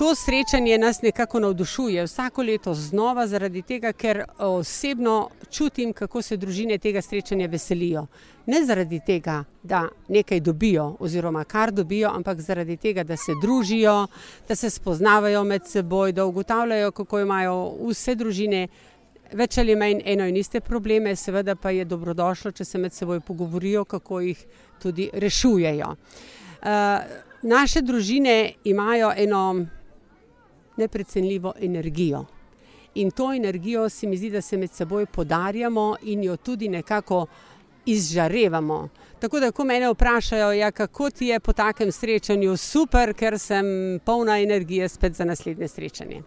To srečanje nas nekako navdušuje vsako leto znova zaradi tega, ker osebno čutim, kako se družine tega srečanja veselijo. Ne zaradi tega, da nekaj dobijo oziroma kar dobijo, ampak zaradi tega, da se družijo, da se spoznavajo med seboj, da ugotavljajo, kako imajo vse družine več ali manj eno in iste probleme, seveda pa je dobrodošlo, če se med seboj pogovorijo, kako jih tudi rešujejo. Naše družine imajo eno neprecenljivo energijo. In to energijo se mi zdi, da se med seboj podarjamo in jo tudi nekako izžarevamo. Tako da, ko mene vprašajo, ja, kako ti je po takem srečanju, super, ker sem polna energije spet za naslednje srečanje.